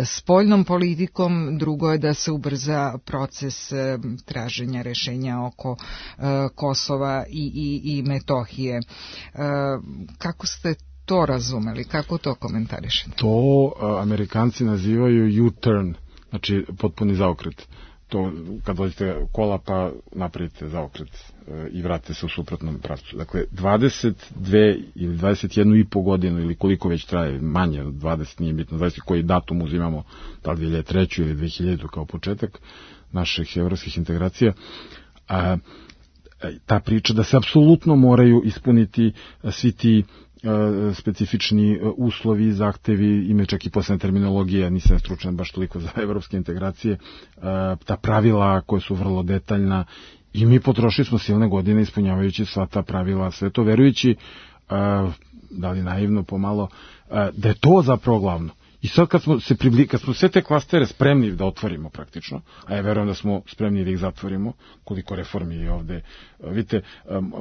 spoljnom politikom, drugo je da se ubrza proces traženja rešenja oko Kosova i, i, i Metohije. Kako ste to razumeli? Kako to komentarišete? To Amerikanci nazivaju U-turn, znači potpuni zaokret. To kad dođete kola pa napravite zaokret e, i vratite se u suprotnom pravcu. Dakle, dvadeset dve ili dvadeset jednu i po godinu ili koliko već traje, manje od dvadeset, nije bitno, zavisi koji datum uzimamo, da li dve hiljade treće ili dve hiljade kao početak naših evropskih integracija, a, ta priča da se apsolutno moraju ispuniti svi ti specifični uslovi, zahtevi, imaju čak i posebna terminologija, nisam stručan baš toliko za evropske integracije, ta pravila koja su vrlo detaljna i mi potrošili smo silne godine ispunjavajući sva ta pravila, sve to verujući, da li naivno pomalo, da je to zapravo glavno. I sad kad smo, se pribli, kad smo sve te klastere spremni da otvorimo praktično, a ja verujem da smo spremni da ih zatvorimo, koliko reformi je ovde, vidite,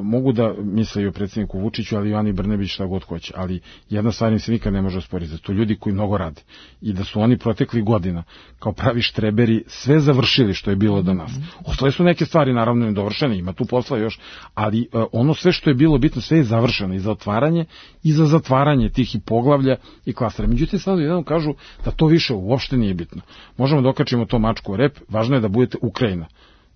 mogu da misle i o predsjedniku Vučiću, ali i Ani Brnabić šta god hoće, ali jedna stvar im se nikad ne može osporiti, da to ljudi koji mnogo rade i da su oni protekli godina kao pravi štreberi sve završili što je bilo do nas. Ostale su neke stvari naravno nedovršene, ima tu posla još, ali ono sve što je bilo bitno, sve je završeno i za otvaranje i za zatvaranje tih i poglavlja i klastera. Međutim, sad jedan kažu da to više uopšte nije bitno. Možemo da okačimo to mačku u rep, važno je da budete Ukrajina.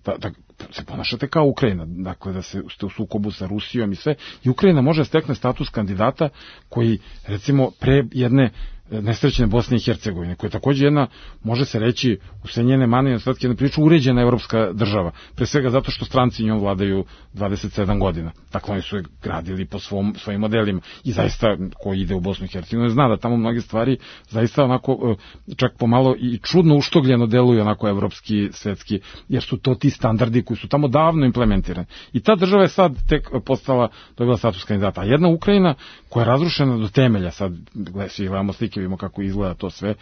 Da, da se ponašate kao Ukrajina, dakle da se, ste u sukobu sa Rusijom i sve. I Ukrajina može stekne status kandidata koji, recimo, pre jedne nesrećne Bosne i Hercegovine, koja je takođe jedna, može se reći, u sve njene mane i nedostatke, jedna priča uređena evropska država. Pre svega zato što stranci njom vladaju dvadeset sedam godina. Dakle, oni su je gradili po svom, svojim modelima. I zaista, ko ide u Bosnu i Hercegovinu, zna da tamo mnoge stvari zaista onako, čak pomalo i čudno uštogljeno deluju onako evropski, svetski, jer su to ti standardi koji su tamo davno implementirani. I ta država je sad tek postala, dobila status kandidata. A jedna Ukrajina koja je razrušena do temelja, sad svi gledamo slike, vidimo kako izgleda to sve,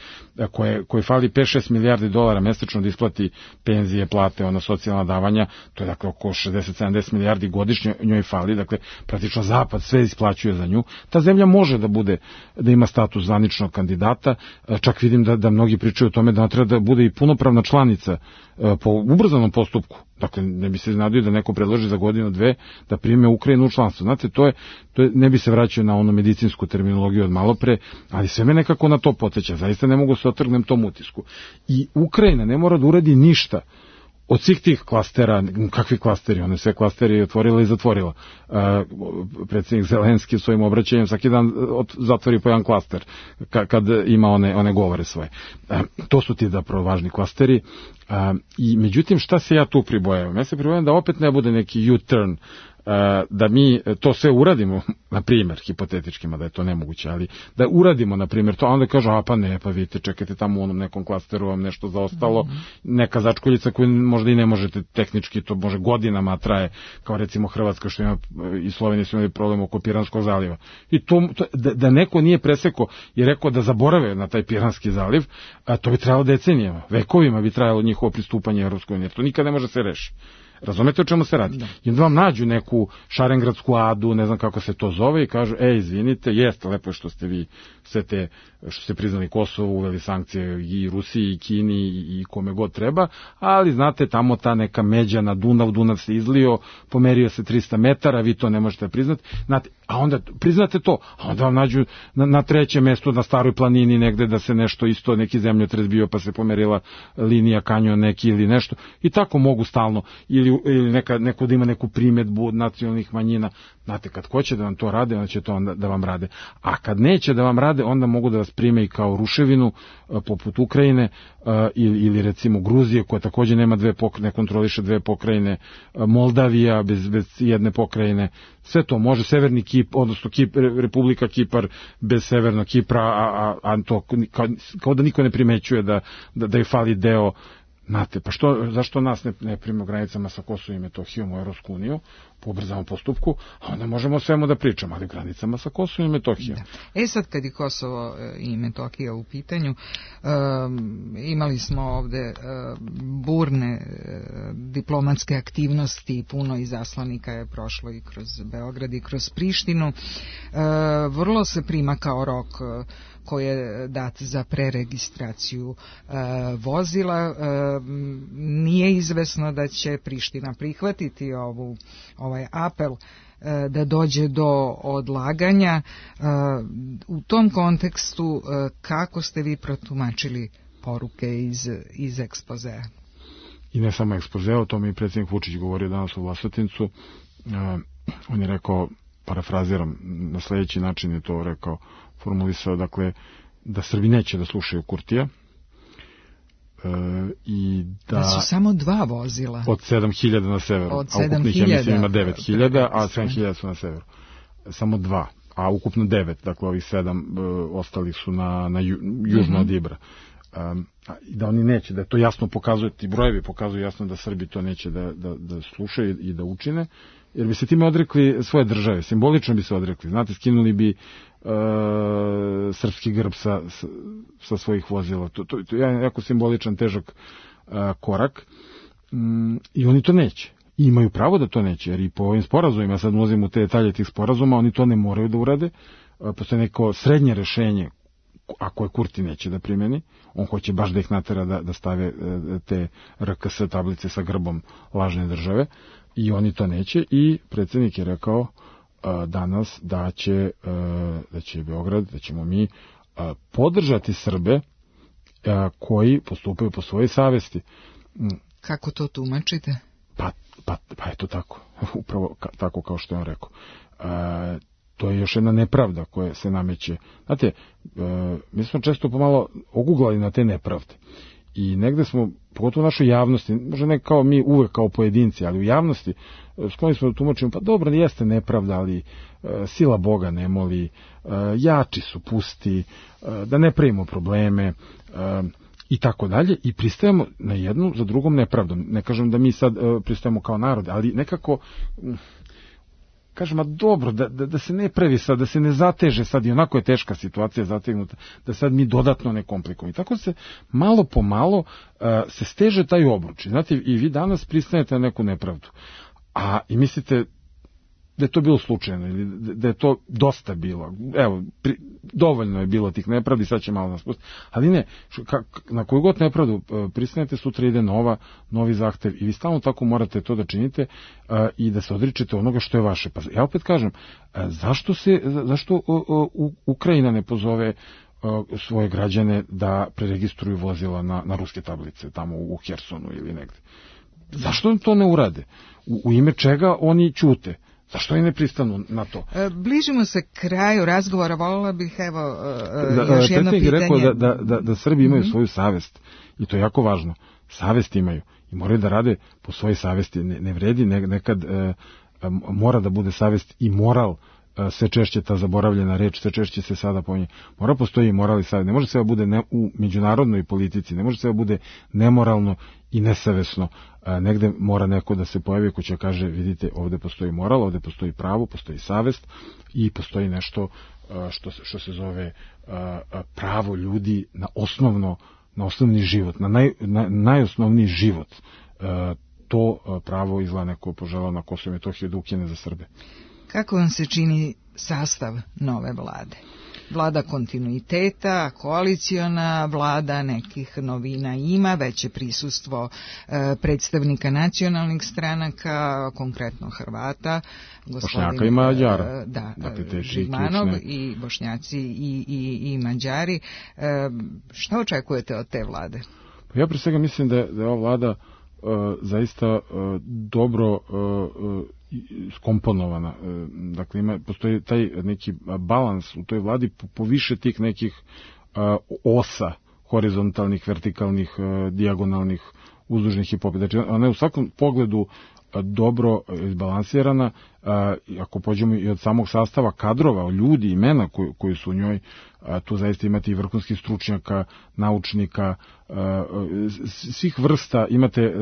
koje, koje fali pet šest milijardi dolara mesečno da isplati penzije, plate, ona socijalna davanja, to je dakle oko šezdeset sedamdeset milijardi godišnje njoj fali, dakle praktično Zapad sve isplaćuje za nju. Ta zemlja može da bude, da ima status zvaničnog kandidata, čak vidim da, da mnogi pričaju o tome da ona treba da bude i punopravna članica po ubrzanom postupku. Dakle, ne bi se iznadio da neko predloži za godinu, dve, da prime Ukrajinu u članstvo. Znate, to je, to je, ne bi se vraćao na onu medicinsku terminologiju od malopre, ali sve me nekako na to poteća. Zaista ne mogu se otrgnem tom utisku. I Ukrajina ne mora da uradi ništa od svih tih klastera, kakvi klasteri, one sve klasteri je otvorila i zatvorila. Uh, predsjednik Zelenski svojim obraćanjem svaki dan zatvori po jedan klaster ka, kad ima one, one govore svoje. Uh, to su ti zapravo važni klasteri. Uh, I međutim, šta se ja tu pribojavam? Ja se pribojavam da opet ne bude neki U-turn, da mi to sve uradimo, na primjer, hipotetičkima da je to nemoguće, ali da uradimo, na primjer, to, a onda kažu, a pa ne, pa vidite, čekajte tamo u onom nekom klasteru vam nešto zaostalo, mm-hmm. neka začkoljica koju možda i ne možete tehnički, to može godinama traje, kao recimo Hrvatska što ima, i Slovenija su imali problem oko Piranskog zaliva. I to, to da, da neko nije presekao i rekao da zaborave na taj Piranski zaliv, a to bi trajalo decenijama, vekovima bi trajalo njihovo pristupanje Evropskoj uniji, jer to nikad ne može se reši. Razumete o čemu se radi? Da. I onda vam nađu neku šarengradsku adu, ne znam kako se to zove, i kažu, ej, izvinite, jeste, lepo je što ste vi sve te, što ste priznali Kosovo, uveli sankcije i Rusiji, i Kini, i kome god treba, ali znate, tamo ta neka međa na Dunav, Dunav se izlio, pomerio se trista metara, vi to ne možete priznati, znate, a onda priznate to, a onda vam nađu na, na trećem mestu, na Staroj planini negde, da se nešto isto, neki zemljotres bio, pa se pomerila linija, kanjon neki ili nešto, i tako mogu stalno, ili ili neka, neko da ima neku primjedbu od nacionalnih manjina. Znate, kad hoće da vam to rade, onda će to onda da vam rade. A kad neće da vam rade, onda mogu da vas prime i kao ruševinu, poput Ukrajine, ili, ili recimo Gruzije, koja također nema dve pokrajine, ne kontroliše dve pokrajine, Moldavija bez, bez jedne pokrajine. Sve to može, Severni Kip, odnosno Kip, Republika Kipar bez Severnog Kipra, a, a, a to kao, kao da niko ne primećuje da, da, da je fali deo. Znate, pa što, zašto nas ne, ne prime u granicama sa Kosovom i Metohijom u Evropsku uniju po ubrzanom postupku, a onda možemo o svemu da pričamo, ali granicama sa Kosovom i Metohijom. Da. E sad, kad je Kosovo i Metohija u pitanju, um, imali smo ovde um, burne uh, diplomatske aktivnosti, puno izaslanika je prošlo i kroz Beograd i kroz Prištinu. Uh, vrlo se prima kao rok uh, koji je dat za preregistraciju uh, vozila. Uh, nije izvesno da će Priština prihvatiti ovu, ovaj apel uh, da dođe do odlaganja. Uh, u tom kontekstu uh, kako ste vi protumačili poruke iz, iz ekspozea? I ne samo ekspozea, o tome i predsjednik Vučić govorio danas u Vlasotincu. Uh, on je rekao, parafraziram, na sljedeći način je to rekao, formulisao, dakle, da Srbi neće da slušaju Kurtija, e, i da... Da su samo dva vozila. Od sedam hiljada na severu. Od sedam hiljada. A ukupnih, ja mislim, ima devet hiljada, a sedam hiljada su na severu. Samo dva, a ukupno devet, dakle, ovih sedam e, ostalih su na, na ju, južno mm-hmm. od Ibra. um, i da oni neće, da je to jasno pokazuje, ti brojevi pokazuju jasno da Srbi to neće da, da, da slušaju i da učine, jer bi se time odrekli svoje države, simbolično bi se odrekli, znate, skinuli bi uh, srpski grb sa, sa svojih vozila, to, to, to je jako simboličan, težak uh, korak, um, i oni to neće. I imaju pravo da to neće, jer i po ovim sporazumima, sad ulazim u te detalje tih sporazuma, oni to ne moraju da urade, postoje neko srednje rešenje, ako je Kurti neće da primeni, on hoće baš da ih natera da, da stave te R K S tablice sa grbom lažne države, i oni to neće, i predsjednik je rekao uh, danas da će, uh, da će Beograd, da ćemo mi uh, podržati Srbe uh, koji postupaju po svojoj savesti. Kako to tumačite? Pa, pa, pa je to tako, upravo ka, tako kao što je on rekao. Uh, to je još jedna nepravda koja se nameće. Znate, uh, mi smo često pomalo oguglali na te nepravde. I negde smo, pogotovo u našoj javnosti, možda ne kao mi uvek kao pojedinci, ali u javnosti, skloni smo da tumačimo, pa dobro, jeste nepravda, ali uh, sila Boga ne moli, uh, jači su pusti, uh, da ne pravimo probleme, uh, i tako dalje, i pristajemo na jednu za drugom nepravdom. Ne kažem da mi sad uh, pristajemo kao narod, ali nekako, um, kažem, a dobro, da, da, da se ne pravi sad, da se ne zateže sad, i onako je teška situacija zategnuta, da sad mi dodatno ne komplikujemo. I tako se malo po malo uh, se steže taj obruč. Znate, i vi danas pristanete na neku nepravdu. A i mislite da je to bilo slučajno, ili da je to dosta bilo. Evo, pri, dovoljno je bilo tih nepravdi, sad će malo nas pustiti. Ali ne, ka, na koju god nepravdu pristanete, sutra ide nova, novi zahtev, i vi stalno tako morate to da činite uh, i da se odričete onoga što je vaše. Pa ja opet kažem, uh, zašto se, zašto uh, uh, Ukrajina ne pozove uh, svoje građane da preregistruju vozila na, na ruske tablice, tamo u Hersonu ili negde? Zašto to ne urade? U, u ime čega oni ćute? Zašto i ne pristanu na to? Bližimo se kraju razgovora, voljela bih, evo, da, još jedno pitanje. Rekao da, da, da, da Srbi imaju mm-hmm. svoju savest, i to je jako važno. Savest imaju i moraju da rade po svojoj savesti. Ne, ne vredi, ne, nekad e, mora da bude savest i moral, e, sve češće ta zaboravljena reč, sve češće se sada pominje. Mora postoji i moral i savest. Ne može se da bude ne, u međunarodnoj politici, ne može se da bude nemoralno i nesavesno. A, negde mora neko da se pojavi ko će kaže, vidite, ovde postoji moral, ovde postoji pravo, postoji savest i postoji nešto a, što, što se zove a, a, pravo ljudi na osnovno, na osnovni život, na, naj, na najosnovniji život. A, to a, pravo izgleda neko poželao na Kosovo i Metohiju da ukine za Srbe. Kako vam se čini sastav nove vlade? Vlada kontinuiteta, koaliciona vlada, nekih novina ima, veće prisustvo e, predstavnika nacionalnih stranaka, konkretno Hrvata, Bošnjaka i Mađara. E, da, dakle, Žigmanov i Bošnjaci i, i, i Mađari. E, šta očekujete od te vlade? Ja pre svega mislim da je, da je ova vlada e, zaista e, dobro e, skomponovana. Dakle, ima, postoji taj neki balans u toj vladi po, po više tih nekih uh, osa, horizontalnih, vertikalnih, uh, dijagonalnih, uzdužnih i popet. Znači, ona je u svakom pogledu uh, dobro izbalansirana. Uh, ako pođemo i od samog sastava kadrova, ljudi, imena koji, koji su u njoj, uh, tu zaista imate i vrhunskih stručnjaka, naučnika, uh, svih vrsta, imate uh,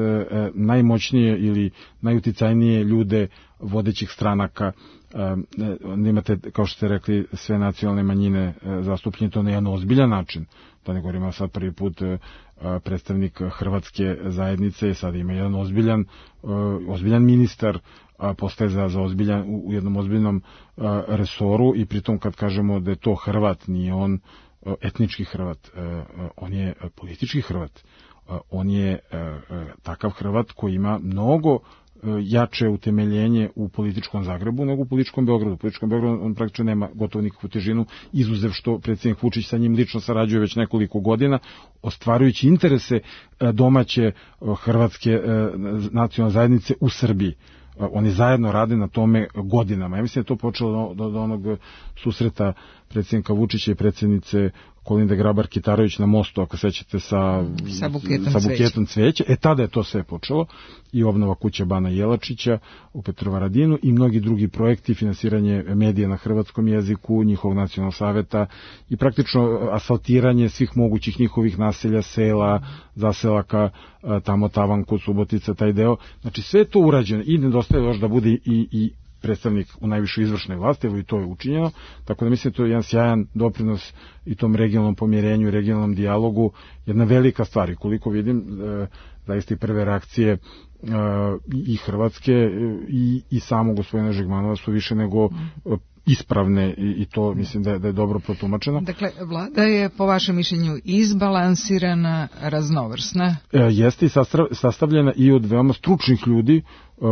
najmoćnije ili najuticajnije ljude vodećih stranaka, uh, imate, kao što ste rekli, sve nacionalne manjine uh, zastupljene to na jedan ozbiljan način. Da ne govorimo sad prvi put uh, predstavnik hrvatske zajednice, sad ima jedan ozbiljan, uh, ozbiljan ministar, a postaje za, za ozbiljan, u, u jednom ozbiljnom a, resoru, i pritom kad kažemo da je to Hrvat, nije on a, etnički Hrvat, a, a, on je a, politički Hrvat, a, on je a, a, takav Hrvat koji ima mnogo a, jače utemeljenje u političkom Zagrebu nego u političkom Beogradu. U političkom Beogradu on praktično nema gotovo nikakvu težinu, izuzev što predsjednik Vučić sa njim lično sarađuje već nekoliko godina, ostvarujući interese a, domaće a, hrvatske a, nacionalne zajednice u Srbiji. Oni zajedno rade na tome godinama. Ja mislim da je to počelo do, do onog susreta predsjednika Vučića i predsjednice Kolinde Grabar-Kitarović na mostu, ako sećate, sa, sa buketom, sa buketom cveća. E, tada je to sve počelo i obnova kuće Bana Jelačića u Petrovaradinu i mnogi drugi projekti, finansiranje medija na hrvatskom jeziku, njihovog nacionalnog saveta i praktično asfaltiranje svih mogućih njihovih naselja, sela, zaselaka, tamo tavan kod Subotica, taj deo. Znači sve je to urađeno i nedostaje još da bude i, i predstavnik u najvišoj izvršnoj vlasti, evo i to je učinjeno, tako da mislim da to je jedan sjajan doprinos i tom regionalnom pomjerenju i regionalnom dijalogu, jedna velika stvar i koliko vidim, e, zaista i prve reakcije e, i Hrvatske i, i samo gospodina Žigmanova su više nego e, ispravne i, i to mislim da je, da je dobro protumačeno. Dakle, vlada je po vašem mišljenju izbalansirana, raznovrsna? E, jeste i sastavljena i od veoma stručnih ljudi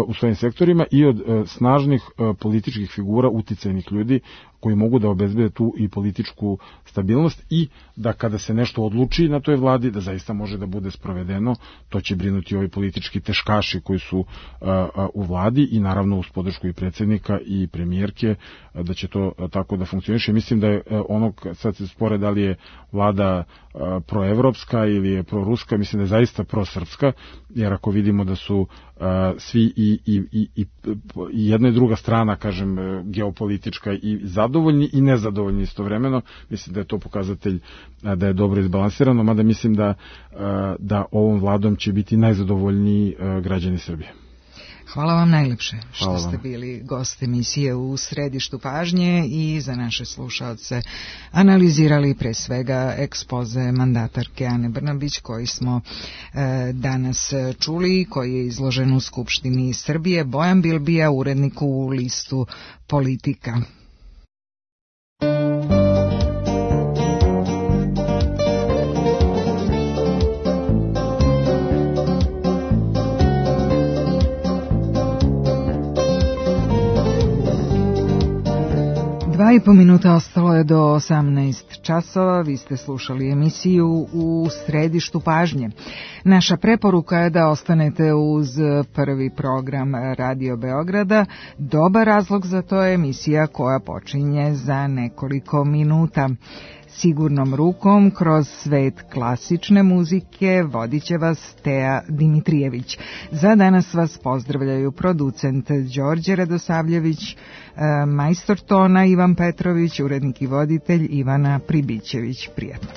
u svojim sektorima i od snažnih političkih figura, uticajnih ljudi koji mogu da obezbede tu i političku stabilnost i da kada se nešto odluči na toj vladi, da zaista može da bude sprovedeno, to će brinuti ovi politički teškaši koji su u vladi i naravno uz podršku i predsjednika i premijerke, da će to tako da funkcioniše. Mislim da je ono, sad se spore da li je vlada proevropska ili je proruska, mislim da je zaista prosrpska, jer ako vidimo da su svi i, i, i, i jedna i druga strana, kažem, geopolitička i zadovoljni i nezadovoljni istovremeno, mislim da je to pokazatelj da je dobro izbalansirano, mada mislim da, da ovom vladom će biti najzadovoljniji građani Srbije. Hvala vam najlepše što ste bili gost emisije U središtu pažnje i za naše slušaoce analizirali pre svega ekspoze mandatarke Ane Brnabić koji smo e, danas čuli, koji je izložen u Skupštini Srbije. Bojan Bilbija, urednik u listu Politika. Dva i po minuta ostalo je do osamnaest časova, vi ste slušali emisiju U središtu pažnje. Naša preporuka je da ostanete uz prvi program Radio Beograda. Dobar razlog za to je emisija koja počinje za nekoliko minuta. Sigurnom rukom kroz svet klasične muzike vodit će vas Teja Dimitrijević. Za danas vas pozdravljaju producent Đorđe Radosavljević, majstor tona Ivan Petrović, urednik i voditelj Ivana Pribićević. Prijatno.